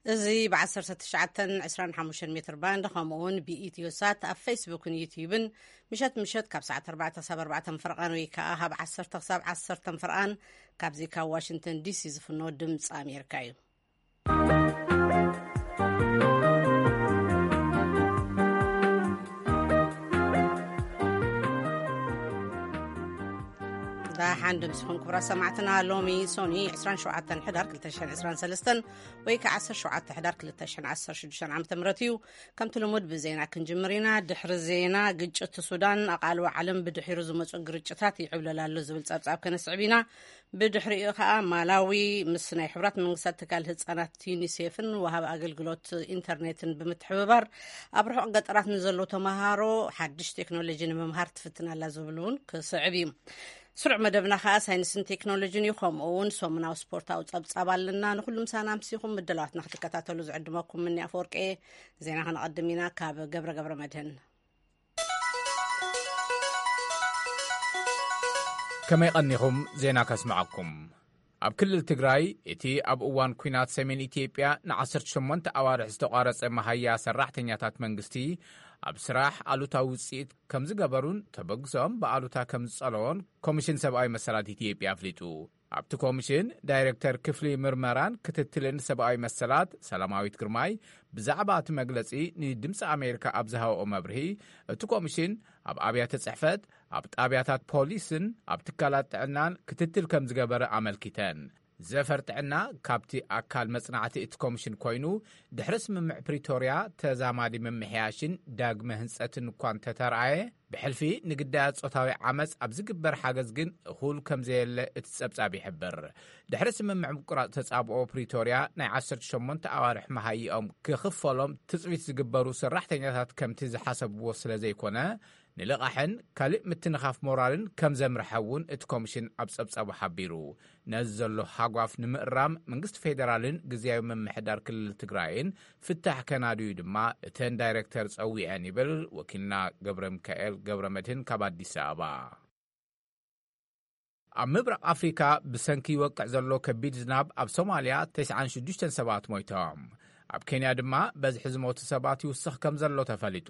እዚ ብ19 25 ሜትር ባንድ፣ ከምኡ እውን ብኢትዮ ሳት ኣብ ፌስቡክን ዩትዩብን ምሸት ምሸት ካብ ሰዓት 4 ክሳብ 4 ፍርቓን ወይ ከዓ ካብ 10 ክሳብ 10 ፍርቓን ካብዚ ካብ ዋሽንግተን ዲሲ ዝፍኖ ድምፂ ኣሜሪካ እዩ። ደሓን ድምፅኹም ክቡራት ሰማዕትና። ሎሚ ሶኒ 27 ሕዳር 2023 ወይ ከዓ 17 ሕዳር 2016 ዓ ም እዩ። ከምቲ ልሙድ ብዜና ክንጅምር ኢና። ድሕሪ ዜና፣ ግጭት ሱዳን ኣቓልቦ ዓለም ብድሒሩ ዝመፁ ግርጭታት ይዕብለል ኣሎ ዝብል ፀብፃብ ከነስዕብ ኢና። ብድሕሪኡ ከዓ ማላዊ ምስ ናይ ሕብራት መንግስታት ትካል ህፃናት ዩኒሴፍን ወሃቢ ኣገልግሎት ኢንተርኔትን ብምትሕብባር ኣብ ርሑቕ ገጠራት ንዘለዉ ተምሃሮ ሓድሽ ቴክኖሎጂ ንምምሃር ትፍትን ኣላ ዝብል እውን ክስዕብ እዩ። ስሩዕ መደብና ከዓ ሳይንስን ቴክኖሎጂን እዩ። ከምኡ እውን ሰሙናዊ ስፖርታዊ ፀብፃብ ኣለና። ንኩሉ ምሳና ኣምሲኹም ምድላዋትና ክትከታተሉ ዝዕድመኩም ምኒ ኣፈወርቂ። ዜና ከነቐድም ኢና ካብ ገብረ ገብረ መድህን። ከመይ ቀኒኹም? ዜና ከስምዓኩም። ኣብ ክልል ትግራይ እቲ ኣብ እዋን ኲናት ሰሜን ኢትዮጵያ ን18 ኣዋርሕ ዝተቋረጸ መሃያ ሰራሕተኛታት መንግስቲ ኣብ ስራሕ ኣሉታዊ ውጽኢት ከም ዝገበሩን ተበግሶም ብኣሉታ ከም ዝጸለዎን ኮሚሽን ሰብኣዊ መሰላት ኢትዮጵያ ኣፍሊጡ። ኣብቲ ኮሚሽን ዳይሬክተር ክፍሊ ምርመራን ክትትልን ሰብኣዊ መሰላት ሰላማዊት ግርማይ ብዛዕባ እቲ መግለጺ ንድምፂ ኣሜሪካ ኣብ ዝሃበኦ መብርሂ፣ እቲ ኮሚሽን ኣብ ኣብያተ ጽሕፈት፣ ኣብ ጣብያታት ፖሊስን ኣብ ትካላት ጥዕናን ክትትል ከም ዝገበረ ኣመልኪተን። ዘፈር ጥዕና ካብቲ ኣካል መጽናዕቲ እቲ ኮሚሽን ኮይኑ፣ ድሕሪ ስምምዕ ፕሪቶርያ ተዛማዲ ምምሕያሽን ዳግመ ህንጸትን እኳ እንተተረኣየ፣ ብሕልፊ ንግዳያት ጾታዊ ዓመጽ ኣብ ዝግበር ሓገዝ ግን እኹል ከም ዘየለ እቲ ጸብጻብ ይሕብር። ድሕሪ ስምምዕ ምቁራጽ ተጻብኦ ፕሪቶርያ ናይ 18 ኣዋርሕ መሃይኦም ክኽፈሎም ትጽቢት ዝግበሩ ሰራሕተኛታት ከምቲ ዝሓሰብዎ ስለ ዘይኮነ፣ ንልቓሕን ካልእ ምትንኻፍ ሞራልን ከም ዘምርሐ እውን እቲ ኮሚሽን ኣብ ጸብጻቡ ሓቢሩ። ነዚ ዘሎ ሃጓፍ ንምእራም መንግስቲ ፌደራልን ግዝያዊ ምምሕዳር ክልል ትግራይን ፍታሕ ከናድዩ ድማ እተን ዳይሬክተር ጸዊዐን ይብል ወኪልና ገብረ ሚካኤል ገብረ መድህን ካብ ኣዲስ ኣበባ። ኣብ ምብራቕ ኣፍሪካ ብሰንኪ ይወቅዕ ዘሎ ከቢድ ዝናብ ኣብ ሶማልያ 96 ሰባት ሞይቶም። ኣብ ኬንያ ድማ በዝሒ ዝሞቱ ሰባት ይውስኽ ከም ዘሎ ተፈሊጡ።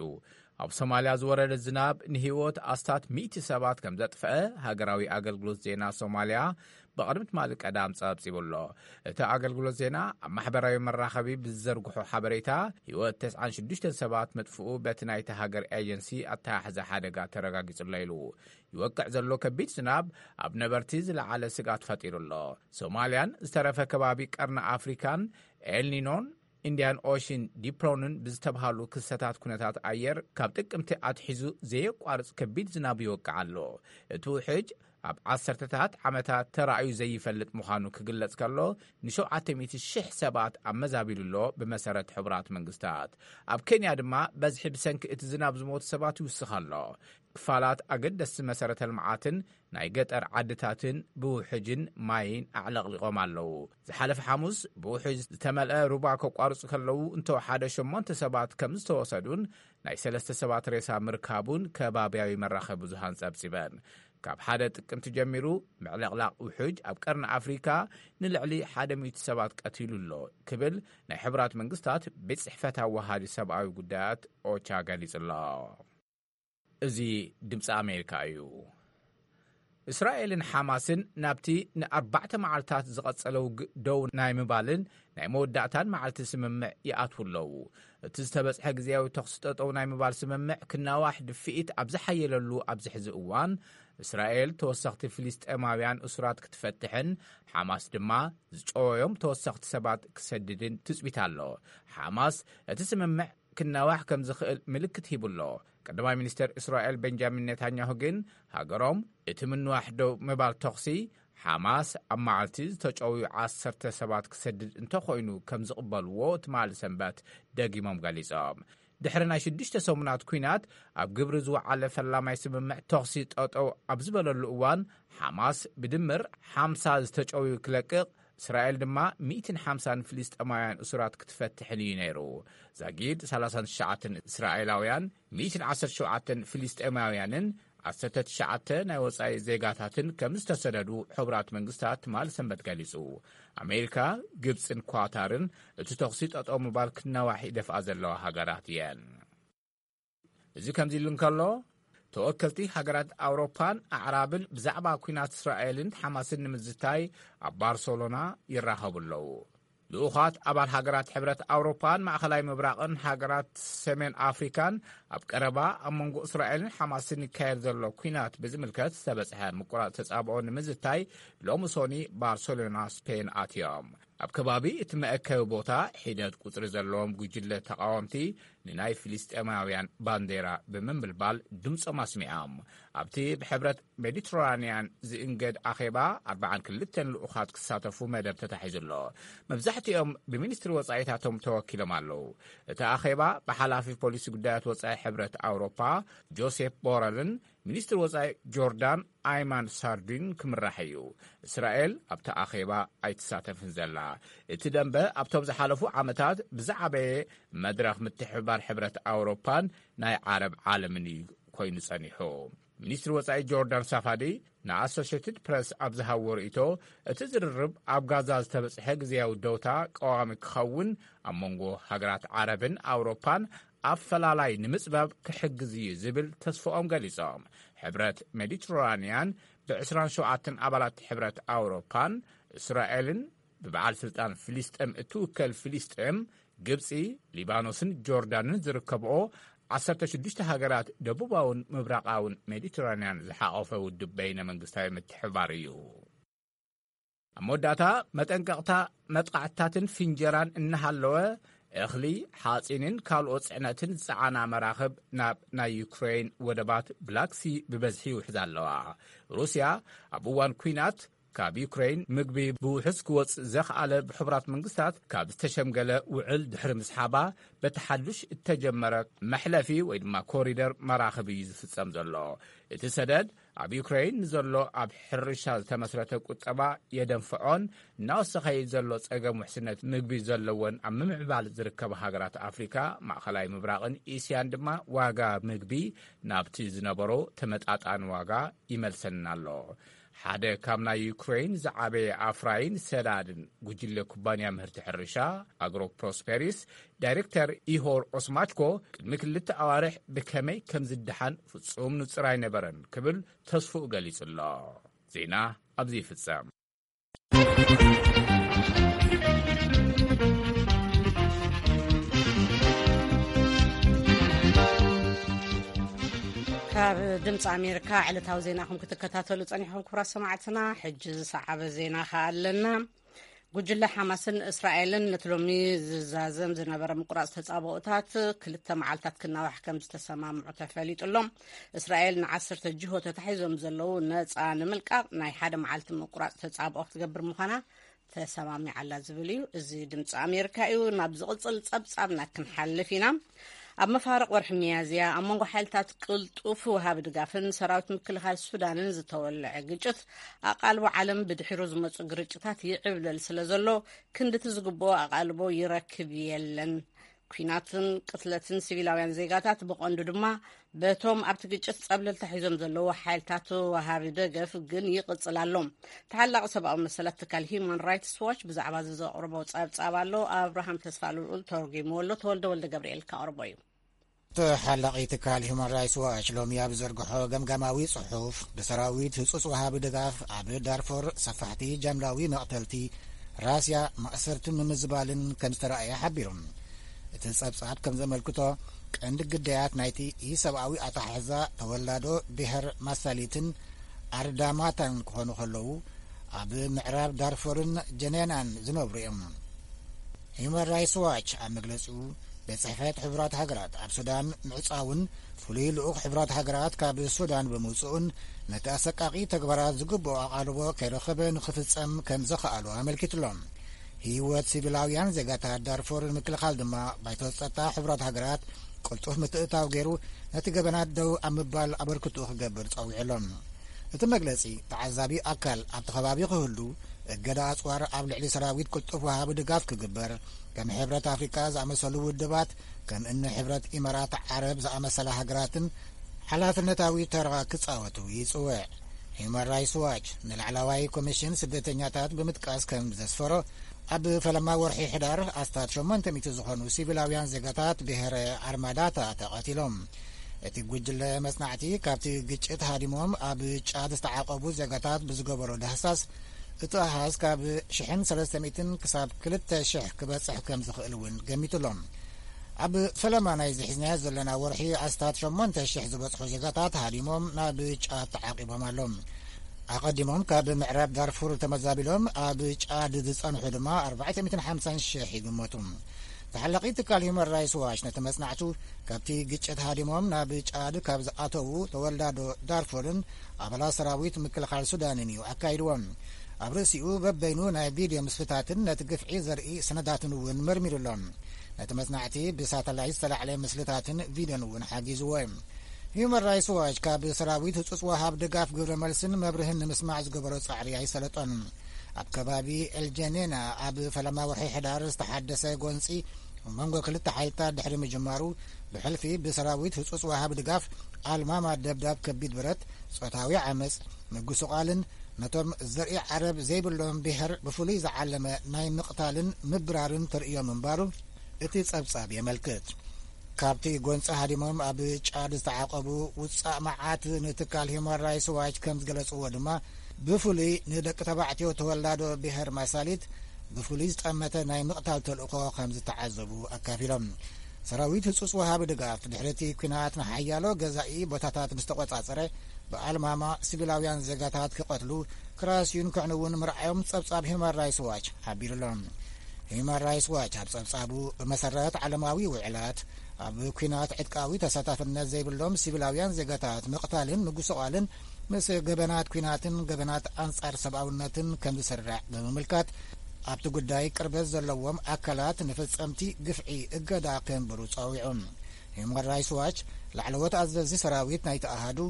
ኣብ ሶማልያ ዝወረደ ዝናብ ንህይወት ኣስታት ሚእቲ ሰባት ከም ዘጥፍአ ሃገራዊ ኣገልግሎት ዜና ሶማልያ ብቕድሚ ትማሊ ቀዳም ጸብጺቡ ኣሎ። እቲ ኣገልግሎት ዜና ኣብ ማሕበራዊ መራኸቢ ብዝዘርግሖ ሓበሬታ፣ ህይወት 96 ሰባት ምጥፍኡ በቲ ናይቲ ሃገር ኤጀንሲ ኣተሓሕዛ ሓደጋ ተረጋጊጹ ኣሎ ኢሉ። ይወቅዕ ዘሎ ከቢድ ዝናብ ኣብ ነበርቲ ዝለዓለ ስግኣት ፈጢሩ ኣሎ። ሶማልያን ዝተረፈ ከባቢ ቀርኒ ኣፍሪካን ኤልኒኖን ኢንዲያን ኦሽን ዲፕሮንን ብዝተብሃሉ ክስተታት ኩነታት ኣየር ካብ ጥቅምቲ ኣትሒዙ ዘየቋርጽ ከቢድ ዝናብ ይወቅዕ ኣሎ። እቲ ውሕጅ ኣብ ዓሰርተታት ዓመታት ተራእዩ ዘይፈልጥ ምዃኑ ክግለጽ ከሎ፣ ን700,000 ሰባት ኣመዛቢሉ ኣሎ። ብመሰረት ሕቡራት መንግስታት፣ ኣብ ኬንያ ድማ በዝሒ ብሰንኪ እቲ ዝናብ ዝሞቱ ሰባት ይውስኽ ኣሎ። ክፋላት ኣገደስቲ መሰረተ ልምዓትን ናይ ገጠር ዓድታትን ብውሕጅን ማይን ኣዕለቕሊቖም ኣለዉ። ዝሓለፈ ሓሙስ ብውሕጅ ዝተመልአ ሩባ ከቋርጹ ከለዉ እንተወሓደ ሸሞንተ ሰባት ከም ዝተወሰዱን ናይ ሰለስተ ሰባት ሬሳ ምርካቡን ከባብያዊ መራኸቢ ብዙሃን ጸብጺበን። ካብ ሓደ ጥቅምቲ ጀሚሩ ምዕልቕላቕ ውሕጅ ኣብ ቀርኒ ኣፍሪካ ንልዕሊ ሓደ ሚእቲ ሰባት ቀቲሉ ኣሎ ክብል ናይ ሕቡራት መንግስታት ቤት ጽሕፈት ኣዋሃዲ ሰብኣዊ ጉዳያት ኦቻ ገሊጹ ኣሎ። እዚ ድምፂ ኣሜሪካ እዩ። እስራኤልን ሓማስን ናብቲ ንኣርባዕተ መዓልታት ዝቐጸለ ውግእ ደው ናይ ምባልን ናይ መወዳእታን መዓልቲ ስምምዕ ይኣትዉ ኣለዉ። እቲ ዝተበጽሐ ግዜያዊ ተኹሲ ጠጠው ናይ ምባል ስምምዕ ክናዋሕ ድፍኢት ኣብ ዝሓየለሉ ኣብዚ ሕዚ እዋን፣ እስራኤል ተወሰኽቲ ፍልስጤማውያን እሱራት ክትፈትሕን ሓማስ ድማ ዝጨወዮም ተወሰኽቲ ሰባት ክሰድድን ትጽቢት ኣሎ። ሓማስ እቲ ስምምዕ ክናዋሕ ከም ዝኽእል ምልክት ሂቡ ኣሎ። ቀዳማይ ሚኒስተር እስራኤል ቤንጃሚን ኔታንያሁ ግን፣ ሃገሮም እቲ ምንዋሕ ደው ምባል ተኹሲ፣ ሓማስ ኣብ መዓልቲ ዝተጨውዩ ዓሰርተ ሰባት ክሰድድ እንተኾይኑ ከም ዝቕበልዎ ትማሊ ሰንበት ደጊሞም ገሊጾም። ድሕሪ ናይ ሽዱሽተ ሰሙናት ኲናት ኣብ ግብሪ ዝወዓለ ፈላማይ ስምምዕ ተኹሲ ጠጠው ኣብ ዝበለሉ እዋን፣ ሓማስ ብድምር ሓምሳ ዝተጨውዩ ክለቅቕ፣ እስራኤል ድማ ሚእትን ሓምሳን ፍልስጤማውያን እሱራት ክትፈትሕን እዩ ነይሩ። ዛጊድ ሰላሳን ትሽዓተን እስራኤላውያን፣ ሚእትን ዓሰርተ ሸውዓተን ፍልስጤማውያንን ዓሰርተ ትሽዓተ ናይ ወጻኢ ዜጋታትን ከም ዝተሰደዱ ሕቡራት መንግስታት ትማሊ ሰንበት ገሊጹ። ኣሜሪካ፣ ግብጽን ኳታርን እቲ ተኹሲ ጠጠው ምባል ክናዋሕ ይደፍኣ ዘለዋ ሃገራት እየን። እዚ ከምዚ ኢሉ እንከሎ፣ ተወከልቲ ሃገራት ኣውሮፓን ኣዕራብን ብዛዕባ ኲናት እስራኤልን ሓማስን ንምዝታይ ኣብ ባርሰሎና ይራኸቡ ኣለዉ። ልኡኻት ኣባል ሃገራት ሕብረት ኣውሮፓን ማእኸላይ ምብራቕን ሃገራት ሰሜን ኣፍሪካን ኣብ ቀረባ ኣብ መንጎ እስራኤልን ሓማስን ይካየድ ዘሎ ኲናት ብዝምልከት ዝተበጽሐ ምቁራጽ ተጻብኦ ንምዝታይ ሎሚ ሶኒ ባርሰሎና ስፔን ኣትዮም። ኣብ ከባቢ እቲ መእከቢ ቦታ ሒደት ቁጽሪ ዘለዎም ጉጅለ ተቓወምቲ ንናይ ፍልስጤማውያን ባንዴራ ብምምልባል ድምጾም ኣስሚዖም። ኣብቲ ብሕብረት ሜዲትራንያን ዝእንገድ ኣኼባ ኣርብዓን ክልተን ልኡኻት ክሳተፉ መደብ ተታሒዙ ኣሎ። መብዛሕትኦም ብሚኒስትሪ ወጻኢታቶም ተወኪሎም ኣለዉ። እቲ ኣኼባ ብሓላፊ ፖሊሲ ጉዳያት ወጻኢ ሕብረት ኣውሮፓ ጆሴፍ ቦረልን ሚኒስትሪ ወጻኢ ጆርዳን ኣይማን ሳርዲን ክምራሕ እዩ። እስራኤል ኣብቲ ኣኼባ ኣይትሳተፍን ዘላ። እቲ ደንበ ኣብቶም ዝሓለፉ ዓመታት ብዝዓበየ መድረኽ ምትሕብባር ሕብረት ኣውሮፓን ናይ ዓረብ ዓለምን እዩ ኮይኑ ጸኒሑ። ሚኒስትሪ ወጻኢ ጆርዳን ሳፋዲ ንኣሶሽትድ ፕረስ ኣብ ዝሃቦ ርእይቶ፣ እቲ ዝርርብ ኣብ ጋዛ ዝተበጽሐ ግዜያዊ ደውታ ቀዋሚ ክኸውን፣ ኣብ መንጎ ሃገራት ዓረብን ኣውሮፓን ኣፈላላይ ንምጽባብ ክሕግዝ እዩ ዝብል ተስፋኦም ገሊጾም። ሕብረት ሜዲትራንያን ብ ዕስራን ሸውዓተን ኣባላት ሕብረት ኣውሮፓን እስራኤልን ብበዓል ስልጣን ፍልስጤም እትውከል ፍልስጤም፣ ግብጺ፣ ሊባኖስን ጆርዳንን ዝርከብኦ ዓሰርተ ሽዱሽተ ሃገራት ደቡባውን ምብራቓውን ሜዲትራንያን ዝሓቖፈ ውድብ በይነ መንግስታዊ ምትሕብባር እዩ። ኣብ መወዳእታ መጠንቀቕታ፣ መጥቃዕትታትን ፍንጀራን እናሃለወ፣ እኽሊ፣ ሓጺንን ካልኦት ጽዕነትን ዝጸዓና መራኽብ ናብ ናይ ዩክሬን ወደባት ብላክሲ ብበዝሒ ይውሕዛ ኣለዋ። ሩስያ ኣብ እዋን ኲናት ካብ ዩክሬን ምግቢ ብውሑስ ክወጽእ ዘኽኣለ ብሕቡራት መንግስታት ካብ ዝተሸምገለ ውዕል ድሕሪ ምስሓባ፣ በቲ ሓዱሽ እተጀመረ መሕለፊ ወይ ድማ ኮሪደር መራኽብ እዩ ዝፍጸም ዘሎ። እቲ ሰደድ ኣብ ዩክሬን ንዘሎ ኣብ ሕርሻ ዝተመስረተ ቁጠባ የደንፍዖን፣ እናወሰኸ ዘሎ ጸገም ውሕስነት ምግቢ ዘለወን ኣብ ምምዕባል ዝርከባ ሃገራት ኣፍሪካ፣ ማእኸላይ ምብራቕን እስያን ድማ ዋጋ ምግቢ ናብቲ ዝነበሮ ተመጣጣኒ ዋጋ ይመልሰና ኣሎ። ሓደ ካብ ናይ ዩክሬን ዝዓበየ ኣፍራይን ሰዳድን ጉጅለ ኩባንያ ምህርቲ ሕርሻ ኣግሮ ፕሮስፔሪስ ዳይሬክተር ኢሆር ኦስማችኮ ቅድሚ ክልተ ኣዋርሕ ብከመይ ከም ዝደሓን ፍጹም ንጹር ኣይነበረን ክብል ተስፍኡ ገሊጹ ኣሎ። ዜና ኣብዚ ይፍጸም። ካብ ድምፂ ኣሜሪካ ዕለታዊ ዜናኹም ክትከታተሉ ጸኒሕኩም ክቡራት ሰማዕትና፣ ሕጂ ዝሰዓበ ዜና ከኣ ኣለና። ጉጅለ ሓማስን እስራኤልን ነቲ ሎሚ ዝዛዘም ዝነበረ ምቁራጽ ተጻብኦታት ክልተ መዓልታት ክናዋሕ ከም ዝተሰማምዑ ተፈሊጡ ኣሎ። እስራኤል ንዓሰርተ ጅሆ ተታሒዞም ዘለዉ ነጻ ንምልቃቕ ናይ ሓደ መዓልቲ ምቁራጽ ተጻብኦ ክትገብር ምዃና ተሰማሚዓ ኣላ ዝብል እዩ። እዚ ድምፂ ኣሜሪካ እዩ። ናብ ዝቕጽል ጸብጻብና ክንሓልፍ ኢና። ኣብ መፋርቕ ወርሒ ሚያዝያ ኣብ መንጎ ሓይልታት ቅልጡፍ ወሃቢ ድጋፍን ሰራዊት ምክልኻል ሱዳንን ዝተወልዐ ግጭት ኣቓልቦ ዓለም ብድሒሩ ዝመጹ ግርጭታት ይዕብለል ስለ ዘሎ ክንድቲ ዝግብኦ ኣቓልቦ ይረክብ የለን። ኲናትን ቅትለትን ሲቪላውያን ዜጋታት ብቐንዱ ድማ በቶም ኣብቲ ግጭት ጸብለልታ ሒዞም ዘለዉ ሓይልታት ወሃቢ ደገፍ ግን ይቕጽል ኣሎ። ተሓላቒ ሰብኣዊ መሰላት ትካል ሂዩማን ራይትስ ዋች ብዛዕባ እዚ ዘቕርቦ ጸብጻብ ኣሎ። ኣብርሃም ተስፋ ልኡል ተርጒምዎ ኣሎ። ተወልደ ወልደ ገብርኤል ከቕርቦ እዩ። ተሓላቒ ትካል ሂዩማን ራይትስ ዋች ሎሚ ኣብ ዘርግሖ ገምጋማዊ ጽሑፍ፣ ብሰራዊት ህጹጽ ወሃቢ ድጋፍ ኣብ ዳርፎር ሰፋሕቲ ጃምላዊ መቕተልቲ፣ ራስያ፣ ማእሰርትን ምምዝባልን ከም ዝተራእየ ሓቢሩ። እቲ ጸብጻብ ከም ዘመልክቶ፣ ቀንዲ ግዳያት ናይቲ ኢሰብኣዊ ኣተሓሕዛ ተወላዶ ብሄር ማሳሊትን ኣርዳማታን ክኾኑ ከለዉ፣ ኣብ ምዕራብ ዳርፎርን ጀኔናን ዝነብሩ እዮም። ሂዩማን ራይትስ ዋች ኣብ መግለጺኡ፣ ቤት ጽሕፈት ሕቡራት ሃገራት ኣብ ሱዳን ምዕጻውን ፍሉይ ልኡኽ ሕቡራት ሃገራት ካብ ሱዳን ብምውጽኡን ነቲ ኣሰቃቒ ተግባራት ዝግብኦ ኣቓልቦ ከይረኸበ ንኽፍጸም ከም ዘኽኣሎ ኣመልኪቱሎ። ህይወት ሲቪላውያን ዜጋታት ዳርፎር ንምክልኻል ድማ ባይቶ ጸጥታ ሕቡራት ሃገራት ቅልጡፍ ምትእትታው ገይሩ ነቲ ገበናት ደው ኣብ ምባል ኣበርክትኡ ክገብር ጸዊዑ ኣሎ። እቲ መግለጺ፣ ተዓዛቢ ኣካል ኣብቲ ከባቢ ክህሉ፣ እገዳ ኣጽዋር ኣብ ልዕሊ ሰራዊት ቅልጡፍ ወሃቢ ድጋፍ ክግበር፣ ከም ሕብረት ኣፍሪቃ ዝኣመሰሉ ውድባት፣ ከም እኒ ሕብረት ኢማራት ዓረብ ዝኣመሰላ ሃገራትን ሓላፍነታዊ ተራ ክጻወቱ ይጽውዕ። ሂዩማን ራይትስ ዋች ንላዕለዋይ ኮሚሽን ስደተኛታት ብምጥቃስ ከም ዘስፈሮ፣ ኣብ ፈለማ ወርሒ ሕዳር ኣስታት ሸሞንተ ሚእቲ ዝኾኑ ሲቪላውያን ዜጋታት ብሄረ ኣርማዳታ ተቐቲሎም። እቲ ጉጅለ መጽናዕቲ ካብቲ ግጭት ሃዲሞም ኣብ ጫድ ዝተዓቐቡ ዜጋታት ብዝገበሮ ዳህሳስ፣ እቲ ኣሃዝ ካብ ሽሕን ሰለስተ ሚእትን ክሳብ ክልተ ሽሕ ክበጽሕ ከም ዝኽእል እውን ገሚቱሎም። ኣብ ፈለማ ናይዚ ሒዝናዮ ዘለና ወርሒ ኣስታት ሸሞንተ ሽሕ ዝበጽሑ ዜጋታት ሃዲሞም ናብ ጫድ ተዓቂቦም ኣለዉ። ኣቐዲሞም ካብ ምዕራብ ዳርፉር ተመዛቢሎም ኣብ ጫድ ዝጸንሑ ድማ ኣርባዕተ ሚእትን ሓምሳን ሽሕ ይግመቱ። ተሓላቒ ትካል ሂዩማን ራይትስ ዋች ነቲ መጽናዕቱ፣ ካብቲ ግጭት ሃዲሞም ናብ ጫድ ካብ ዝኣተዉ ተወላዶ ዳርፉርን ኣባላት ሰራዊት ምክልኻል ሱዳንን እዩ ኣካይድዎም። ኣብ ርእሲኡ በበይኑ ናይ ቪድዮ ምስልታትን ነቲ ግፍዒ ዘርኢ ሰነዳትን እውን መርሚሩ ኣሎ። ነቲ መጽናዕቲ ብሳተላይት ዝተላዕለ ምስልታትን ቪድዮን እውን ሓጊዝዎ እዩ። ሂዩማን ራይትስ ዋች ካብ ሰራዊት ህጹጽ ወሃብ ድጋፍ ግብረ መልስን መብርህን ንምስማዕ ዝገበሮ ጻዕሪ ኣይሰለጦን። ኣብ ከባቢ ኤልጀኔና ኣብ ፈለማ ወርሒ ሕዳር ዝተሓደሰ ጎንጺ መንጎ ክልተ ሓይልታት ድሕሪ ምጅማሩ፣ ብሕልፊ ብሰራዊት ህጹጽ ወሃብ ድጋፍ ኣልማማ ደብዳብ ከቢድ ብረት፣ ጾታዊ ዓመጽ፣ ምጉስቓልን ነቶም ዘርኢ ዓረብ ዘይብሎም ብሄር ብፍሉይ ዝዓለመ ናይ ምቕታልን ምብራርን ተርእዮ ምንባሩ እቲ ጸብጻብ የመልክት። ካብቲ ጎንጺ ሃዲሞም ኣብ ጫድ ዝተዓቐቡ ውጻእ መዓት ንትካል ሂዩማን ራይትስ ዋች ከም ዝገለጽዎ ድማ፣ ብፍሉይ ንደቂ ተባዕትዮ ተወላዶ ብሄር ማሳሊት ብፍሉይ ዝጠመተ ናይ ምቕታል ተልእኾ ከም ዝተዓዘቡ ኣካፊሎም። ሰራዊት ህጹጽ ወሃቢ ድጋፍ ድሕሪ እቲ ኲናት ንሓያሎ ገዛኢ ቦታታት ምስ ተቖጻጸረ፣ ብኣልማማ ሲቪላውያን ዜጋታት ክቐትሉ፣ ክራስዩን ክዕንውን ምርኣዮም ጸብጻብ ሂዩማን ራይትስ ዋች ሓቢሩ ኣሎ። ሂዩማን ራይትስ ዋች ኣብ ጸብጻቡ፣ ብመሰረት ዓለማዊ ውዕላት፣ ኣብ ኲናት ዕጥቃዊ ተሳታፍነት ዘይብሎም ሲቪላውያን ዜጋታት ምቕታልን ምጉስቓልን ምስ ገበናት ኲናትን ገበናት ኣንጻር ሰብኣውነትን ከም ዝስራዕ ብምምልካት፣ ኣብቲ ጉዳይ ቅርበት ዘለዎም ኣካላት ንፈጸምቲ ግፍዒ እገዳ ከንብሩ ጸዊዑ። ሂዩማን ራይትስ ዋች፣ ላዕለዎት ኣዘዝቲ ሰራዊት ናይቲ ኣሃዱ፣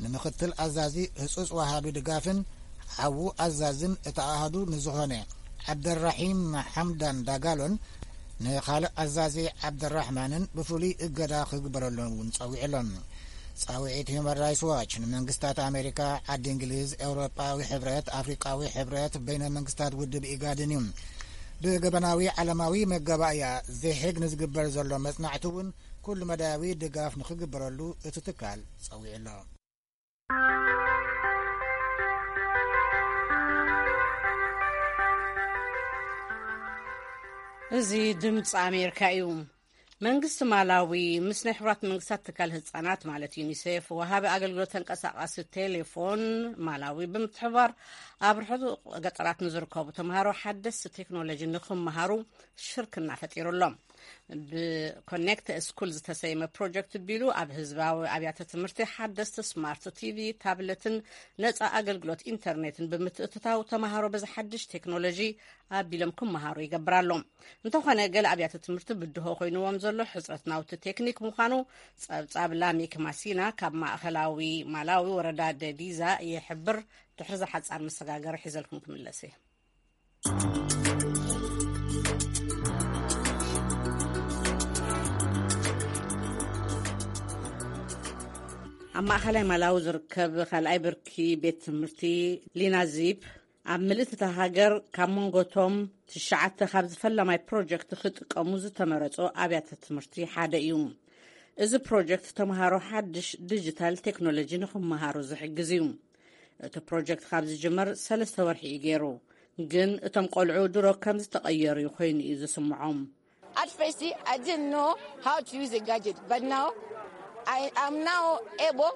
ንምኽትል ኣዛዚ ህጹጽ ወሃቢ ድጋፍን ሓዉ ኣዛዝን እቲ ኣሃዱ ንዝኾነ ዓብደራሒም ሓምዳን ዳጋሎን ንኻልእ ኣዛዚ ዓብደራሕማንን ብፍሉይ እገዳ ክግበረሎም እውን ጸዊዑ ኣሎ። ጻውዒት ሂዩማን ራይትስ ዋች ንመንግስታት ኣሜሪካ፣ ዓዲ እንግሊዝ፣ ኤውሮጳዊ ሕብረት፣ ኣፍሪቃዊ ሕብረት፣ በይነ መንግስታት ውድብ ኢጋድን እዩ። ብገበናዊ ዓለማዊ መጋባእያ ዘሄግ ንዝግበር ዘሎ መጽናዕቲ እውን ኩሉ መዳያዊ ድጋፍ ንኽግበረሉ እቲ ትካል ጸዊዑ ኣሎ። እዚ ድምፂ ኣሜሪካ እዩ። መንግስቲ ማላዊ ምስ ናይ ሕቡራት መንግስታት ትካል ህፃናት ማለት ዩኒሴፍ፣ ወሃቢ ኣገልግሎት ተንቀሳቃሲ ቴሌፎን ማላዊ ብምትሕባር ኣብ ርሑቕ ገጠራት ንዝርከቡ ተምሃሮ ሓደስቲ ቴክኖሎጂ ንክመሃሩ ሽርክና ፈጢሩ ኣሎ። ብኮኔክት ስኩል ዝተሰየመ ፕሮጀክት ቢሉ ኣብ ህዝባዊ ኣብያተ ትምህርቲ ሓደስቲ ስማርት ቲቪ፣ ታብለትን ነፃ ኣገልግሎት ኢንተርኔትን ብምትእትታው ተምሃሮ በዚ ሓድሽ ቴክኖሎጂ ኣቢሎም ክመሃሩ ይገብር ኣሎ። እንተኾነ ገለ ኣብያተ ትምህርቲ ብድሆ ኮይንዎም ዘሎ ሕፅረት ናውቲ ቴክኒክ ምዃኑ ፀብፃብ ላሚክ ማሲና ካብ ማእኸላዊ ማላዊ ወረዳ ደዲዛ ይሕብር። ድሕሪ ዝሓፃር መሰጋገሪ ሒዘልኩም ክምለስ እየ። ኣብ ማእኸላይ ማላዊ ዝርከብ ካልኣይ ብርኪ ቤት ትምህርቲ ሊናዚፕ ኣብ ምልእቲ እታ ሃገር ካብ መንጎቶም ትሽዓተ ካብዚ ፈላማይ ፕሮጀክት ክጥቀሙ ዝተመረጹ ኣብያተ ትምህርቲ ሓደ እዩ። እዚ ፕሮጀክት ተምሃሮ ሓድሽ ዲጂታል ቴክኖሎጂ ንኽመሃሩ ዝሕግዝ እዩ። እቲ ፕሮጀክት ካብ ዝጅመር ሰለስተ ወርሒ እዩ ገይሩ፣ ግን እቶም ቆልዑ ድሮ ከም ዝተቐየሩ ኮይኑ እዩ ዝስምዖም። At first, I didn't know how to use a gadget, but now I am now able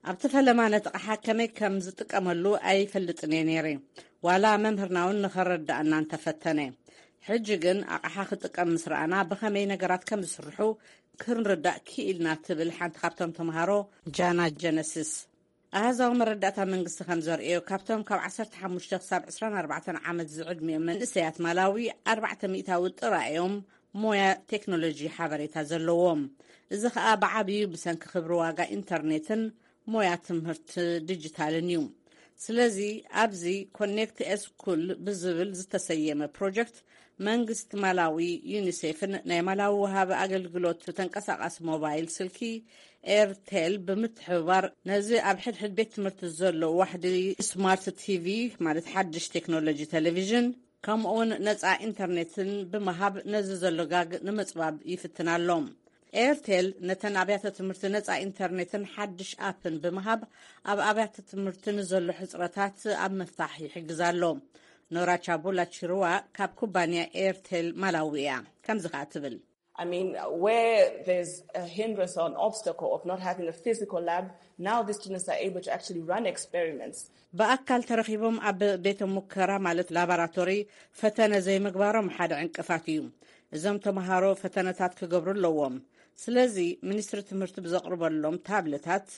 ኣብቲ ፈለማ ነቲ ኣቕሓ ከመይ ከም ዝጥቀመሉ ኣይፈልጥን እየ ነይረ። ዋላ መምህርና እውን ንኸረድኣና እንተፈተነ። ሕጂ ግን ኣቕሓ ክጥቀም ምስ ረኣና ብኸመይ ነገራት ከም ዝስርሑ ክንርዳእ ክኢልና፣ ትብል ሓንቲ ካብቶም ተምሃሮ ጃና ጀነሲስ። ኣሃዛዊ መረዳእታ መንግስቲ ከም ዘርእዮ፣ ካብቶም ካብ ዓሰርተ ሓሙሽተ ክሳብ ዕስራን ኣርባዕተን ዓመት ዝዕድሚኦም መንእሰያት ማላዊ ኣርባዕተ ሚእታዊ ጥራይ እዮም ሞያ ቴክኖሎጂ ሓበሬታ ዘለዎም። እዚ ኸኣ ብዓብዩ ብሰንኪ ክብሪ ዋጋ ኢንተርኔትን ሞያ ትምህርቲ ዲጂታልን እዩ። ስለዚ ኣብዚ ኮኔክት ኤስኩል ብዝብል ዝተሰየመ ፕሮጀክት መንግስቲ ማላዊ፣ ዩኒሴፍን ናይ ማላዊ ወሃቢ ኣገልግሎት ተንቀሳቓሲ ሞባይል ስልኪ ኤርቴል ብምትሕብባር፣ ነዚ ኣብ ሕድሕድ ቤት ትምህርቲ ዘሎ ዋሕዲ ስማርት ቲቪ፣ ማለት ሓድሽ ቴክኖሎጂ ቴሌቪዥን፣ ከምኡውን ነጻ ኢንተርኔትን ብምሃብ፣ ነዚ ዘሎ ጋግ ንምጽባብ ይፍትን ኣሎ። ኤርቴል ነተን ኣብያተ ትምህርቲ ነጻ ኢንተርኔትን ሓድሽ ኣፕን ብምሃብ፣ ኣብ ኣብያተ ትምህርቲ ንዘሎ ሕጽረታት ኣብ ምፍታሕ ይሕግዝ ኣሎ። ኖራ ቻቡላ ቺሩዋ ካብ ኩባንያ ኤርቴል ማላዊ እያ። ከምዚ ከኣ ትብል። I mean, where there's a hindrance or an obstacle of not having a physical lab, now the students are able to actually run experiments. ብኣካል ተረኺቦም ኣብ ቤተ ሙከራ፣ ማለት ላቦራቶሪ፣ ፈተነ ዘይምግባሮም ሓደ ዕንቅፋት እዩ። እዞም ተምሃሮ ፈተነታት ክገብሩ ኣለዎም። ስለዚ ሚኒስትሪ ትምህርቲ ብዘቕርበሎም ታብለታት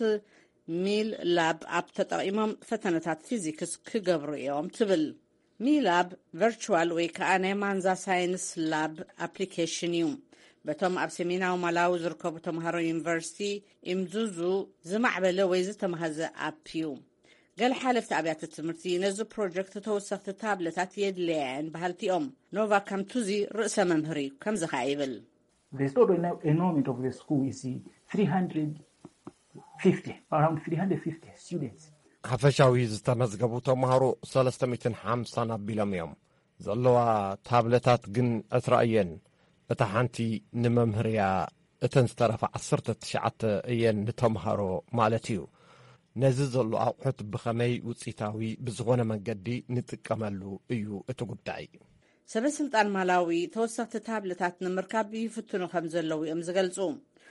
ሚል ላብ ኣፕ ተጠቒሞም ፈተነታት ፊዚክስ ክገብሩ እዮም ትብል። ሚላብ ቨርቹዋል ወይ ከኣ ናይ ማንዛ ሳይንስ ላብ ኣፕሊኬሽን እዩ። በቶም ኣብ ሰሜናዊ ማላዊ ዝርከቡ ተምሃሮ ዩኒቨርሲቲ ኢምዙዙ ዝማዕበለ ወይ ዝተመሃዘ ኣፕ እዩ። ገለ ሓለፍቲ ኣብያተ ትምህርቲ ነዚ ፕሮጀክት ተወሰኽቲ ታብለታት የድለያ እየን በሃልቲ እዮም። ኖቫ ካምቱዚ ርእሰ መምህር እዩ። ከምዚ ከኣ ይብል። The total ena- enrollment of the school is three hundred fifty, around three hundred fifty students. ሓፈሻዊ ዝተመዝገቡ ተምሃሮ ሰለስተ ሚእትን ሓምሳን ኣቢሎም እዮም። ዘለዋ ታብለታት ግን ዕስራ እየን። እታ ሓንቲ ንመምህር እያ፣ እተን ዝተረፋ ዓሰርተ ትሽዓተ እየን ንተምሃሮ ማለት እዩ። ነዚ ዘሎ ኣቑሑት ብኸመይ ውፅኢታዊ ብዝኾነ መንገዲ ንጥቀመሉ እዩ እቲ ጉዳይ። ሰበ ስልጣን ማላዊ ተወሰኽቲ ታብለታት ንምርካብ ይፍትኑ ከም ዘለዉ እዮም ዝገልጹ።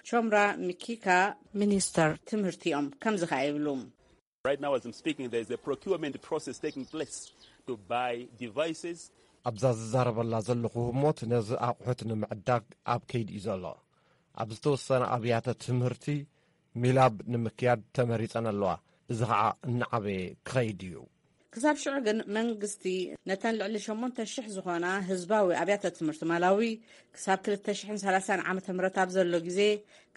ቾምራ ሚኪካ ሚኒስተር ትምህርቲ እዮም። ከምዚ ከኣ ይብሉ። Right now, as I'm speaking, there is a procurement process taking place to buy devices. ኣብዛ ዝዛረበላ ዘለኹ ህሞት ነዚ ኣቑሑት ንምዕዳግ ኣብ ከይዲ እዩ ዘሎ። ኣብ ዝተወሰነ ኣብያተ ትምህርቲ ሚላብ ንምክያድ ተመሪጸን ኣለዋ። እዚ ኸዓ እናዓበየ ክኸይድ እዩ። ክሳብ ሽዑ ግን መንግስቲ ነተን ልዕሊ ሸሞንተ ሽሕ ዝኾና ህዝባዊ ኣብያተ ትምህርቲ ማላዊ ክሳብ ክልተ ሽሕን ሰላሳን ዓመተ ምህረት ኣብ ዘሎ ግዜ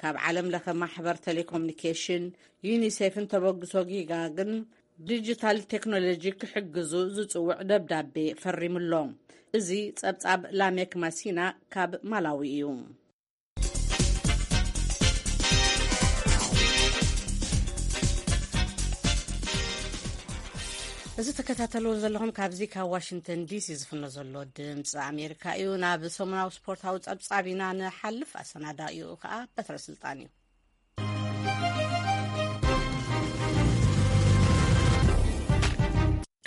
ካብ ዓለም ለኸ ማሕበር ቴሌኮሙኒኬሽን ዩኒሴፍን ተበግሶ ጊጋ ግን ዲጂታል ቴክኖሎጂ ክሕግዙ ዝጽውዕ ደብዳቤ ፈሪሙሎ። እዚ ጸብጻብ ላሜክ ማሲና ካብ ማላዊ እዩ። እዚ ተከታተልዎ ዘለኹም ካብዚ ካብ ዋሽንግተን ዲሲ ዝፍኖ ዘሎ ድምፂ ኣሜሪካ እዩ። ናብ ሰሙናዊ ስፖርታዊ ጸብጻብ ኢና ንሓልፍ። ኣሰናዳኢኡ ከዓ በትረ ስልጣን እዩ።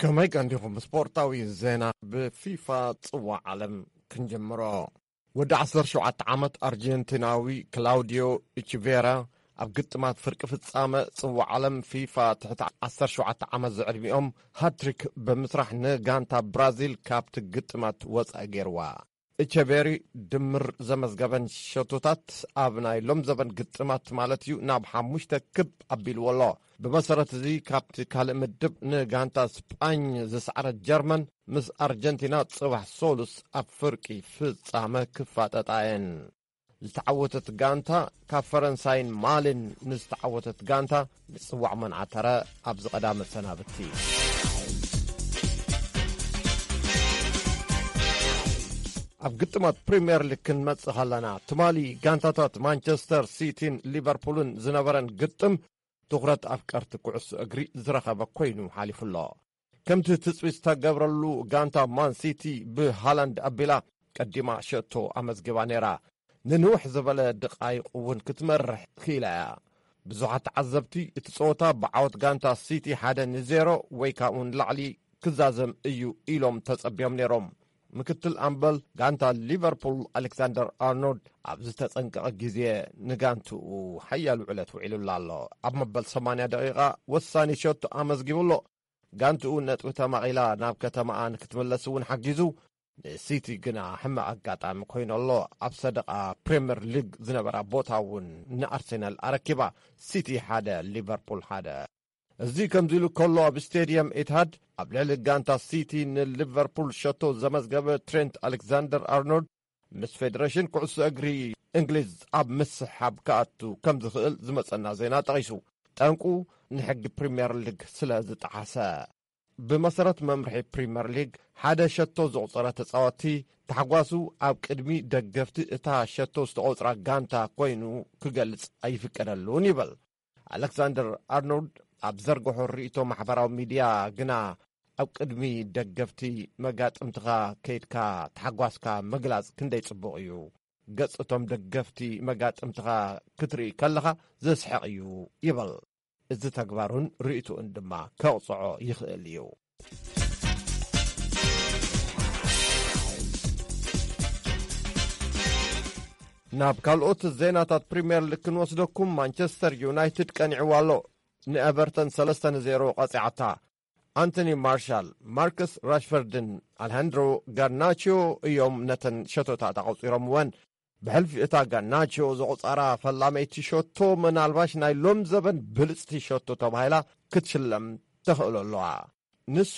ከመይ ቀንዲኹም? ስፖርታዊ ዜና ብፊፋ ጽዋዕ ዓለም ክንጀምሮ። ወዲ ዓሰርተ ሸውዓተ ዓመት ኣርጀንቲናዊ ክላውዲዮ ኢችቬራ ኣብ ግጥማት ፍርቂ ፍጻመ ጽዋዕ ዓለም ፊፋ ትሕቲ ዓሰርተ ሸውዓተ ዓመት ዝዕድሚኦም ሃትሪክ ብምስራሕ ንጋንታ ብራዚል ካብቲ ግጥማት ወጻኢ ገይርዋ። ኢቸቬሪ ድምር ዘመዝገበን ሸቶታት ኣብ ናይ ሎም ዘበን ግጥማት ማለት እዩ ናብ ሓሙሽተ ክብ ኣቢልዎ ኣሎ። ብመሰረት እዚ ካብቲ ካልእ ምድብ ንጋንታ ስጳኝ ዝሰዕረት ጀርመን ምስ ኣርጀንቲና ጽባሕ ሶሉስ ኣብ ፍርቂ ፍጻመ ክፋጠጣ እየን። ዝተዓወተት ጋንታ ካብ ፈረንሳይን ማልን ንዝተዓወተት ጋንታ ንጽዋዕ መንዓተረ ኣብዚ ቀዳመ ሰናብቲ። ኣብ ግጥማት ፕሪምየር ሊግ ክንመጽእ ከለና ትማሊ ጋንታታት ማንቸስተር ሲቲን ሊቨርፑልን ዝነበረን ግጥም ትኹረት ኣፍቀርቲ ኩዕሶ እግሪ ዝረኸበ ኮይኑ ሓሊፉ ኣሎ። ከምቲ ትጽቢት ዝተገብረሉ ጋንታ ማን ሲቲ ብሃላንድ ኣቢላ ቀዲማ ሸቶ ኣመዝጊባ ነይራ። ንንውሕ ዝበለ ድቓይቕ እውን ክትመርሕ ክኢላ እያ። ብዙሓት ተዓዘብቲ እቲ ጸወታ ብዓወት ጋንታ ሲቲ ሓደ ንዜሮ ወይ ካብኡ ንላዕሊ ክዛዘም እዩ ኢሎም ተጸቢዮም ነይሮም። ምክትል ኣምበል ጋንታ ሊቨርፑል ኣሌክሳንደር ኣርኖልድ ኣብ ዝተጸንቀቐ ግዜ ንጋንትኡ ሓያል ውዕለት ውዒሉላ ኣሎ። ኣብ መበል ሰማንያ ደቂቓ ወሳኒ ሸቶ ኣመዝጊቡ ኣሎ። ጋንትኡ ነጥቢ ተማቒላ ናብ ከተማኣ ንክትምለስ እውን ሓጊዙ፣ ንሲቲ ግና ሕማቕ ኣጋጣሚ ኮይኑ ኣሎ። ኣብ ሰደቓ ፕሪምየር ሊግ ዝነበራ ቦታ እውን ንኣርሴናል ኣረኪባ፣ ሲቲ ሓደ ሊቨርፑል ሓደ። እዚ ከምዚ ኢሉ ከሎ፣ ኣብ ስቴድየም ኢትሃድ ኣብ ልዕሊ ጋንታ ሲቲ ንሊቨርፑል ሸቶ ዘመዝገበ ትሬንት ኣሌክዛንደር ኣርኖልድ ምስ ፌደሬሽን ኩዕሶ እግሪ እንግሊዝ ኣብ ምስሕሓብ ክኣቱ ከም ዝኽእል ዝመጸና ዜና ጠቒሱ፣ ጠንቁ ንሕጊ ፕሪምየር ሊግ ስለ ዝጠሓሰ። ብመሰረት መምርሒ ፕሪምየር ሊግ፣ ሓደ ሸቶ ዘቑጸረ ተጻወቲ ታሕጓሱ ኣብ ቅድሚ ደገፍቲ እታ ሸቶ ዝተቖጽራ ጋንታ ኮይኑ ክገልጽ ኣይፍቀደሉን ይብል። ኣሌክሳንደር ኣርኖልድ ኣብ ዘርግሖ ርእይቶ ማሕበራዊ ሚድያ ግና፣ ኣብ ቅድሚ ደገፍቲ መጋጥምትኻ ከይድካ ታሕጓስካ ምግላጽ ክንደይ ጽቡቕ እዩ። ገጽ እቶም ደገፍቲ መጋጥምትኻ ክትርኢ ከለኻ ዘስሕቕ እዩ ይብል። እዚ ተግባሩን ርእይቶኡን ድማ ከቕጽዖ ይኽእል እዩ። ናብ ካልኦት ዜናታት ፕሪምየር ሊግ ክንወስደኩም፣ ማንቸስተር ዩናይትድ ቀኒዕዋ ኣሎ። ንኤቨርተን ሰለስተ ንዜሮ ቀጺዓታ። ኣንቶኒ ማርሻል፣ ማርከስ ራሽፈርድን ኣልሃንድሮ ጋርናቾ እዮም ነተን ሸቶታት ኣቑጺሮምወን። ብሕልፊ እታ ጋርናቾ ዘቑጸራ ፈላመይቲ ሸቶ፣ ምናልባሽ ናይ ሎም ዘበን ብልጽቲ ሸቶ ተባሂላ ክትሽለም ተኽእሎ ኣለዋ። ንሱ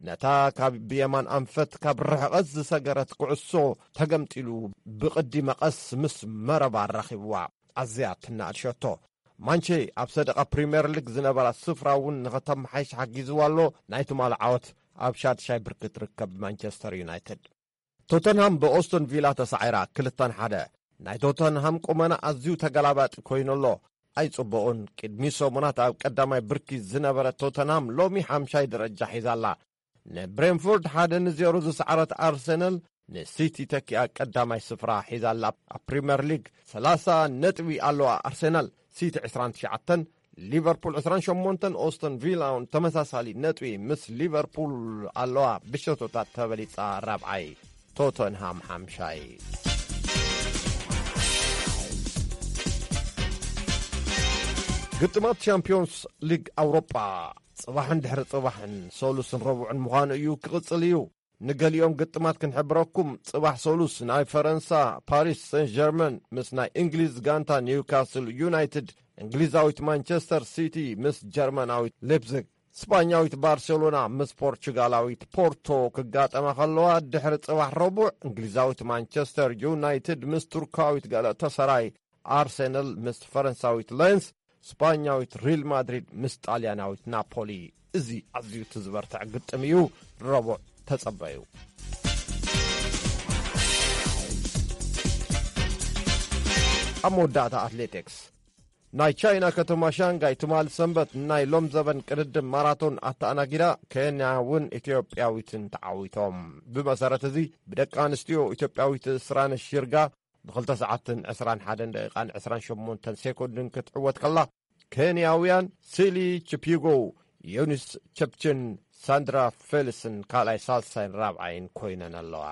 ነታ ካብ ብየማን ኣንፈት ካብ ርሕቐት ዝሰገረት ኩዕሶ ተገምጢሉ ብቕዲ መቐስ ምስ መረባ ኣራኺብዋ። ኣዝያ ትናኣድ ሸቶ። ማንቼ ኣብ ሰደቓ ፕሪምየር ሊግ ዝነበራ ስፍራ እውን ንኸተመሓይሽ ሓጊዝዋ ኣሎ። ናይ ትማሊ ዓወት ኣብ ሻድሻይ ብርኪ ትርከብ ማንቸስተር ዩናይትድ። ቶተንሃም ብኦስቶን ቪላ ተሳዒራ፣ ክልተን ሓደ። ናይ ቶተንሃም ቁመና ኣዝዩ ተገላባጢ ኮይኑ ኣሎ። ኣይጽቡቕን። ቅድሚ ሰሙናት ኣብ ቀዳማይ ብርኪ ዝነበረ ቶተንሃም ሎሚ ሓምሻይ ደረጃ ሒዛ ኣላ። ንብሬንፎርድ ሓደ ንዜሮ ዝሰዓረት ኣርሰናል ንሲቲ ተኪኣ ቀዳማይ ስፍራ ሒዛ ኣላ። ኣብ ፕሪምየር ሊግ ሰላሳ ነጥቢ ኣለዋ ኣርሰናል። ሲቲ ዕስራን ትሽዓተን፣ ሊቨርፑል ዕስራን ሸሞንተን፣ ኦስቶን ቪላ እውን ተመሳሳሊ ነጥቢ ምስ ሊቨርፑል ኣለዋ። ብሸቶታት ተበሊጻ ራብዓይ፣ ቶተንሃም ሓምሻይ። ግጥማት ቻምፒዮንስ ሊግ ኣውሮጳ ጽባሕን ድሕሪ ጽባሕን፣ ሰሉስን ረቡዕን ምዃኑ እዩ፣ ክቕጽል እዩ። ንገሊኦም ግጥማት ክንሕብረኩም፣ ጽባሕ ሰሉስ ናይ ፈረንሳ ፓሪስ ሰን ጀርመን ምስ ናይ እንግሊዝ ጋንታ ኒውካስል ዩናይትድ፣ እንግሊዛዊት ማንቸስተር ሲቲ ምስ ጀርመናዊት ሌፕዚግ፣ ስጳኛዊት ባርሴሎና ምስ ፖርቹጋላዊት ፖርቶ ክጋጠማ ከለዋ፣ ድሕሪ ጽባሕ ረቡዕ እንግሊዛዊት ማንቸስተር ዩናይትድ ምስ ቱርካዊት ጋላታሳራይ፣ ኣርሰናል ምስ ፈረንሳዊት ሌንስ፣ ስጳኛዊት ሪል ማድሪድ ምስ ጣልያናዊት ናፖሊ። እዚ ኣዝዩ እቲ ዝበርትዕ ግጥም እዩ። ረቡዕ ተጸበዩ። ኣብ መወዳእታ ኣትሌቲክስ፣ ናይ ቻይና ከተማ ሻንጋይ ትማሊ ሰንበት ናይ ሎም ዘበን ቅድድም ማራቶን ኣተኣናጊዳ፣ ኬንያውን ኢትዮጵያዊትን ተዓዊቶም። ብመሰረት እዚ፣ ብደቂ ኣንስትዮ ኢትዮጵያዊት ስራነሽ ይርጋ ብኽልተ ሰዓትን ዕስራን ሓደን ደቂቓን ዕስራን ሸሞንተን ሴኮንድን ክትዕወት ከላ፣ ኬንያውያን ሲሊ ቺፒጎ፣ ዮኒስ ቸፕችን ሳንድራ ፌሊስን ካልኣይ፣ ሳልሳይን ራብዓይን ኮይነን ኣለዋ።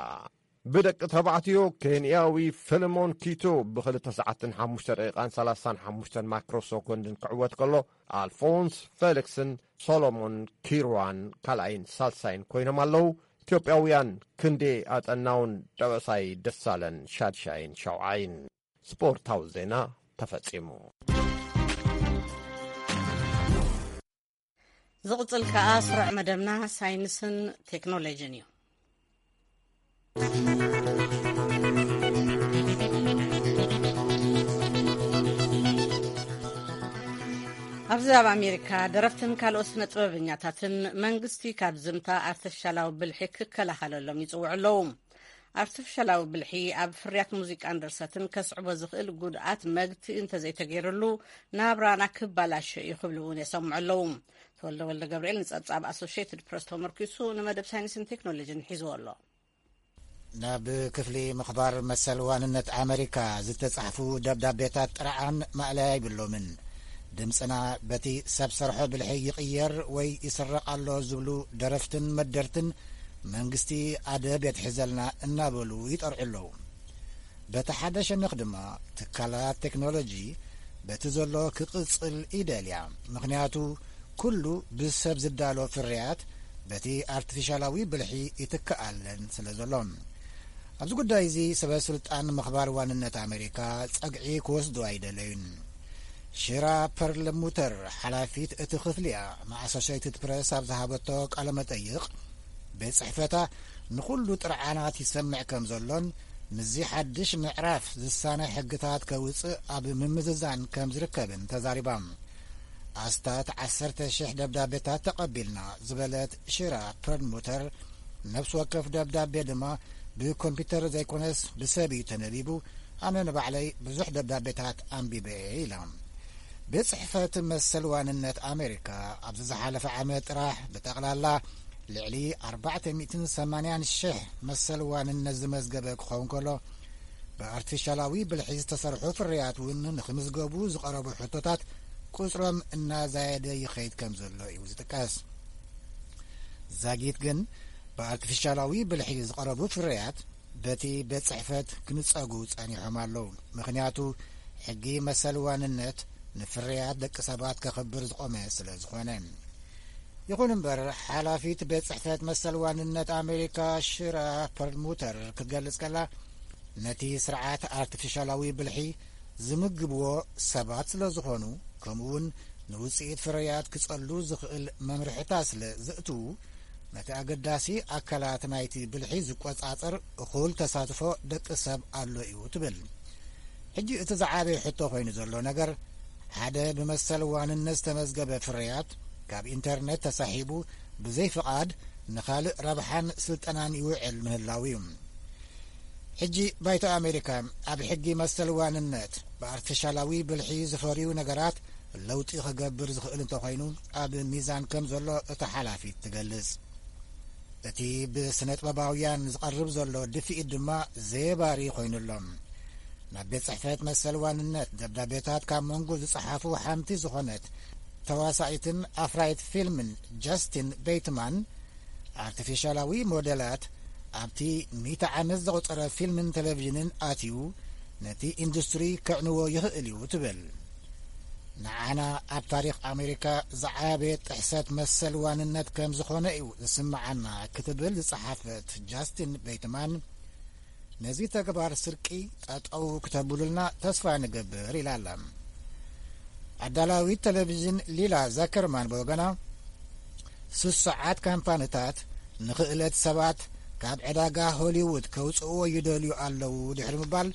ብደቂ ተባዕትዮ፣ ኬንያዊ ፊልሞን ኪቶ ብኽልተ ሰዓትን ሓሙሽተ ደቂቓን ሰላሳን ሓሙሽተን ማይክሮ ሰኮንድን ክዕወት ከሎ፣ ኣልፎንስ ፌሊክስን ሶሎሞን ኪሩዋን ካልኣይን ሳልሳይን ኮይኖም ኣለዉ። ኢትዮጵያውያን ክንዴ ኣጠናውን ደበሳይ ደሳለን ሻድሻይን ሻውዓይን። ስፖርታዊ ዜና ተፈጺሙ። ዝቕጽል ከኣ ስሩዕ መደብና ሳይንስን ቴክኖሎጅን እዩ። ኣብዚ ኣብ ኣሜሪካ፣ ደረፍትን ካልኦት ስነ ጥበበኛታትን መንግስቲ ካብ ዝምታ ኣርቲፊሻላዊ ብልሒ ክከላኸለሎም ይጽውዑ ኣለዉ። ኣርቲፊሻላዊ ብልሒ ኣብ ፍርያት ሙዚቃን ድርሰትን ከስዕቦ ዝኽእል ጉድኣት መግትኢ እንተዘይተገይሩሉ፣ ናብራና ክባላሾ እዩ ክብሉ እውን የሰምዑ ኣለዉ። ተወልደ ወልደ ገብርኤል ንጸብጻብ ኣሶሽየትድ ፕረስ ተመርኪሱ ንመደብ ሳይንስን ቴክኖሎጂን ሒዝዎ ኣሎ። ናብ ክፍሊ ምኽባር መሰል ዋንነት ኣመሪካ ዝተጻሕፉ ደብዳቤታት ጥርዓን ማእለያ ይብሎምን። ድምጽና በቲ ሰብ ሰርሖ ብልሒ ይቕየር ወይ ይስረቕ ኣሎ ዝብሉ ደረፍትን መደርትን መንግስቲ ኣደብ የትሕዘልና እናበሉ ይጠርዑ ኣለዉ። በቲ ሓደ ሸነኽ ድማ ትካላት ቴክኖሎጂ በቲ ዘሎ ክቕጽል ይደልያ። ምኽንያቱ ኩሉ ብሰብ ዝዳሎ ፍርያት በቲ ኣርቲፊሻላዊ ብልሒ ይትከኣለን ስለ ዘሎ። ኣብዚ ጉዳይ እዚ ሰበ ስልጣን ምኽባር ዋንነት ኣሜሪካ ጸግዒ ክወስዱ ኣይደለዩን። ሽራ ፐርልሙተር፣ ሓላፊት እቲ ክፍሊ እያ፣ ንኣሶሴይትድ ፕረስ ኣብ ዝሃበቶ ቃለ መጠይቕ፣ ቤት ጽሕፈታ ንኹሉ ጥርዓናት ይሰምዕ ከም ዘሎን ምስዚ ሓድሽ ምዕራፍ ዝሳነ ሕግታት ከውጽእ ኣብ ምምዝዛን ከም ዝርከብን ተዛሪባ። ኣስታት ዓሰርተ ሽሕ ደብዳቤታት ተቐቢልና ዝበለት ሽራ ፐርልሙተር፣ ነፍሲ ወከፍ ደብዳቤ ድማ ብኮምፒውተር ዘይኮነስ ብሰብ እዩ ተነቢቡ። ኣነ ንባዕለይ ብዙሕ ደብዳቤታት ኣንቢበ እየ ኢላ። ቤት ጽሕፈት መሰል ዋንነት ኣሜሪካ ኣብዚ ዝሓለፈ ዓመት ጥራሕ ብጠቕላላ ልዕሊ ኣርባዕተ ሚእትን ሰማንያን ሽሕ መሰል ዋንነት ዝመዝገበ ክኸውን ከሎ፣ ብኣርቲፊሻላዊ ብልሒ ዝተሰርሑ ፍርያት እውን ንኽምዝገቡ ዝቐረቡ ሕቶታት ቁጽሮም እናዛየደ ይኸይድ ከም ዘሎ እዩ ዝጥቀስ። ዛጊት ግን ብኣርቲፊሻላዊ ብልሒ ዝቐረቡ ፍርያት በቲ ቤት ጽሕፈት ክንጸጉ ጸኒሖም ኣለዉ። ምኽንያቱ ሕጊ መሰል ዋንነት ንፍርያት ደቂ ሰባት ከኽብር ዝቖመ ስለ ዝኾነ። ይኹን እምበር፣ ሓላፊት ቤት ጽሕፈት መሰል ዋንነት ኣሜሪካ ሽራ ፐርልሙተር ክትገልጽ ከላ፣ ነቲ ስርዓት ኣርቲፊሻላዊ ብልሒ ዝምግብዎ ሰባት ስለ ዝኾኑ፣ ከምኡውን ንውጽኢት ፍርያት ክጸሉ ዝኽእል መምርሕታት ስለ ዘእትዉ፣ ነቲ ኣገዳሲ ኣካላት ናይቲ ብልሒ ዝቆጻጸር እኹል ተሳትፎ ደቂ ሰብ ኣሎ እዩ ትብል። ሕጂ እቲ ዝዓበየ ሕቶ ኮይኑ ዘሎ ነገር፣ ሓደ ብመሰል ዋንነት ዝተመዝገበ ፍርያት ካብ ኢንተርነት ተሳሒቡ ብዘይ ፍቓድ ንኻልእ ረብሓን ስልጠናን ይውዕል ምህላው እዩ። ሕጂ ባይቶ ኣሜሪካ ኣብ ሕጊ መሰል ዋንነት ብኣርቲፊሻላዊ ብልሒ ዝፈርዩ ነገራት ለውጢ ክገብር ዝኽእል እንተኾይኑ ኣብ ሚዛን ከም ዘሎ እታ ሓላፊት ትገልጽ። እቲ ብስነ ጥበባውያን ዝቐርብ ዘሎ ድፍኢት ድማ ዘየባሪ ኮይኑሎ። ናብ ቤት ጽሕፈት መሰል ዋንነት ደብዳቤታት ካብ መንጎ ዝጸሓፉ ሓንቲ ዝኾነት ተዋሳኢትን ኣፍራይት ፊልምን ጃስቲን ቤትማን፣ ኣርቲፊሻላዊ ሞዴላት ኣብቲ ሚእቲ ዓመት ዘቑጸረ ፊልምን ቴሌቪዥንን ኣትዩ ነቲ ኢንዱስትሪ ክዕንዎ ይኽእል እዩ ትብል። ንዓና ኣብ ታሪኽ ኣሜሪካ ዝዓበየ ጥሕሰት መሰል ዋንነት ከም ዝኾነ እዩ ዝስምዓና ክትብል ዝጸሓፈት ጃስቲን ቤትማን፣ ነዚ ተግባር ስርቂ ጠጠው ክተብሉልና ተስፋ ንገብር ኢላ ኣላ። ኣዳላዊት ቴሌቪዥን ሊላ ዛከርማን ብወገና፣ ስሱዓት ካምፓኒታት ንኽእለት ሰባት ካብ ዕዳጋ ሆሊውድ ከውጽእዎ ይደልዩ ኣለዉ ድሕሪ ምባል፣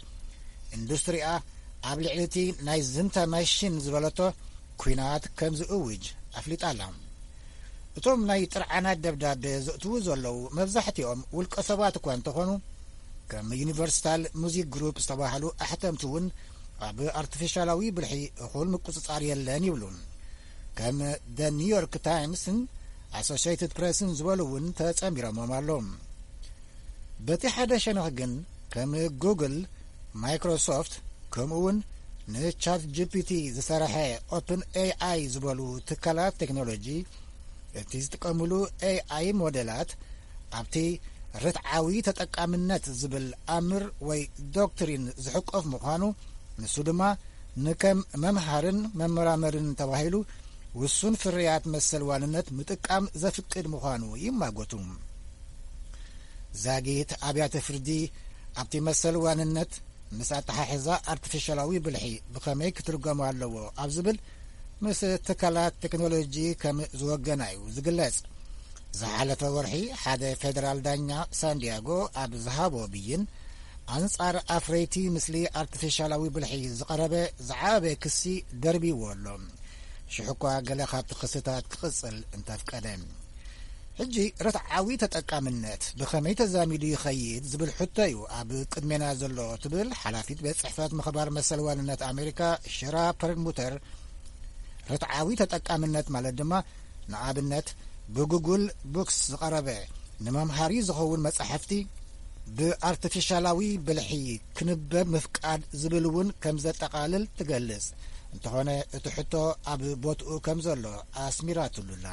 ኢንዱስትሪኣ ኣብ ልዕሊ እቲ ናይ ዝንታ ማሽን ዝበለቶ ኲናት ከም ዝእውጅ ኣፍሊጣ ኣላ። እቶም ናይ ጥርዓናት ደብዳቤ ዘእትዉ ዘለዉ መብዛሕትኦም ውልቀ ሰባት እኳ እንተኾኑ፣ ከም ዩኒቨርሳል ሙዚክ ግሩፕ ዝተባህሉ ኣሕተምቲ እውን ኣብ ኣርቲፊሻላዊ ብልሒ እኹል ምቁጽጻር የለን ይብሉ። ከም ደ ኒውዮርክ ታይምስን ኣሶሽየትድ ፕሬስን ዝበሉ እውን ተጸሚሮሞም ኣለዉ። በቲ ሓደ ሸነኽ ግን ከም ጉግል፣ ማይክሮሶፍት ከምኡ እውን ንቻት ጂ ፒ ቲ ዝሰርሐ ኦፕን ኤ ኣይ ዝበሉ ትካላት ቴክኖሎጂ እቲ ዝጥቀምሉ ኤ ኣይ ሞዴላት ኣብቲ ርትዓዊ ተጠቃምነት ዝብል ኣምር ወይ ዶክትሪን ዝሕቆፍ ምዃኑ፣ ንሱ ድማ ንከም መምሃርን መመራመርን ተባሂሉ ውሱን ፍርያት መሰል ዋንነት ምጥቃም ዘፍቅድ ምዃኑ ይማጎቱ። ዛጊት ኣብያተ ፍርዲ ኣብቲ መሰል ዋንነት ምስ ኣተሓሕዛ ኣርቲፊሻላዊ ብልሒ ብኸመይ ክትርጎም ኣለዎ ኣብ ዝብል ምስ ትካላት ቴክኖሎጂ ከም ዝወገና እዩ ዝግለጽ። ዝሓለፈ ወርሒ ሓደ ፌደራል ዳኛ ሳንዲያጎ ኣብ ዝሃቦ ብይን፣ ኣንጻር ኣፍረይቲ ምስሊ ኣርቲፊሻላዊ ብልሒ ዝቐረበ ዝዓበየ ክሲ ደርቢዎ ኣሎ። ሽሕ እኳ ገለ ካብቲ ክስታት ክቕጽል እንተፍቀደ። ሕጂ ርትዓዊ ተጠቃምነት ብኸመይ ተዛሚዱ ይኸይድ ዝብል ሕቶ እዩ ኣብ ቅድሜና ዘሎ ትብል ሓላፊት ቤት ጽሕፈት ምኽባር መሰል ዋንነት ኣሜሪካ ሽራ ፐርልሙተር። ርትዓዊ ተጠቃምነት ማለት ድማ ንኣብነት ብጉግል ቡክስ ዝቐረበ ንመምሃሪ ዝኸውን መጻሕፍቲ ብኣርቲፊሻላዊ ብልሒ ክንበብ ምፍቃድ ዝብል እውን ከም ዘጠቓልል ትገልጽ። እንተኾነ እቲ ሕቶ ኣብ ቦትኡ ከም ዘሎ ኣስሚራትሉላ።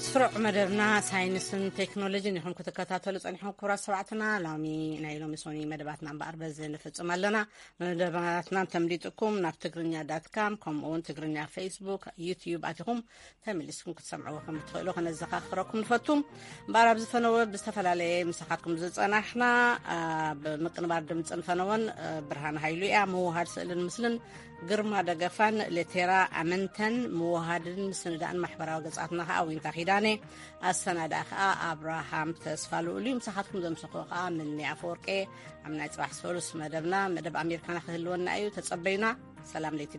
ስሩዕ መደብና ሳይንስን ቴክኖሎጂን ኢኹም ክትከታተሉ ጸኒሕኩም ክቡራት ሰማዕትና። ሎሚ ናይ ሎሚ ሶኒ መደባትና እምበኣር በዚ ንፍጽም ኣለና። መደባትና እንተምሊጥኩም ናብ ትግርኛ ዳት ካም ከምኡ እውን ትግርኛ ፌስቡክ፣ ዩትዩብ ኣቲኹም ተመሊስኩም ክትሰምዕዎ ከም እትኽእሉ ከነዘኻኽረኩም ንፈቱ። እምበኣር ኣብዚ ፈነወ ብዝተፈላለየ ምሳኻትኩም ዝጸናሕና፣ ኣብ ምቅንባር ድምፅን ፈነወን ብርሃን ሃይሉ እያ። ምውሃድ ስእልን ምስልን ግርማ ደገፋን ሌቴራ ኣመንተን፣ ምውሃድን ምስንዳእን ማሕበራዊ ገጻትና ከኣ ዊንታ ኪዳነ፣ ኣሰናዳኢ ከኣ ኣብርሃም ተስፋ ልኡል እዩ። ምሳኻትኩም ዘምሰኹ ከኣ ምኒ ኣፈወርቄ። ኣብ ናይ ጽባሕ ሰሉስ መደብና፣ መደብ ኣሜሪካና ክህልወና እዩ። ተጸበዩና። ሰላም ለይቲ